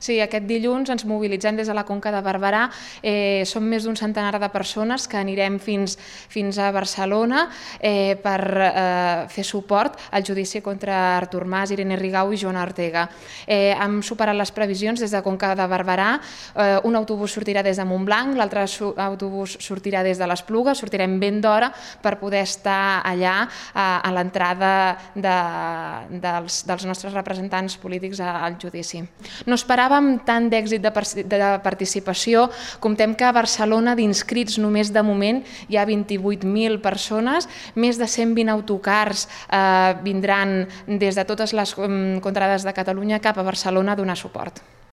Sí, aquest dilluns ens mobilitzem des de la Conca de Barberà. Som més d'un centenar de persones que anirem fins a Barcelona per fer suport al judici contra Artur Mas, Irene Rigau i Joana Ortega. Hem superat les previsions des de Conca de Barberà. Un autobús sortirà des de Montblanc, l'altre autobús sortirà des de l'Espluga, sortirem ben d'hora per poder estar allà a l'entrada dels nostres representants polítics al judici. No esperàvem tant d'èxit de participació. Comptem que a Barcelona d'inscrits només de moment hi ha 28.000 persones, més de 120 autocars vindran des de totes les contrades de Catalunya cap a Barcelona a donar suport.